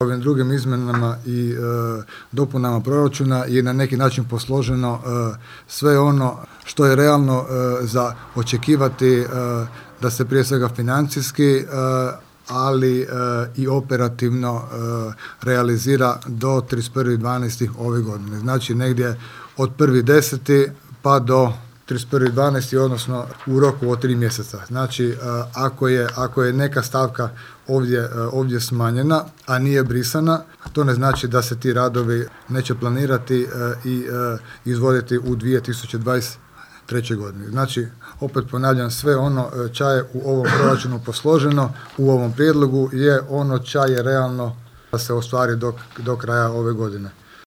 Ovim drugim izmjenama i dopunama proračuna je na neki način posloženo sve ono što je realno za očekivati da se prije svega financijski, ali i operativno realizira do 31.12. ove godine. Znači negdje od 1.10. pa do 31.12. odnosno u roku od 3 mjeseca. Znači ako je neka stavka ovdje smanjena, a nije brisana, to ne znači da se ti radovi neće planirati i izvoditi u 2023. godini. Znači, opet ponavljam, sve ono ča je u ovom proračunu posloženo, u ovom prijedlogu je ono ča je realno da se ostvari do kraja ove godine.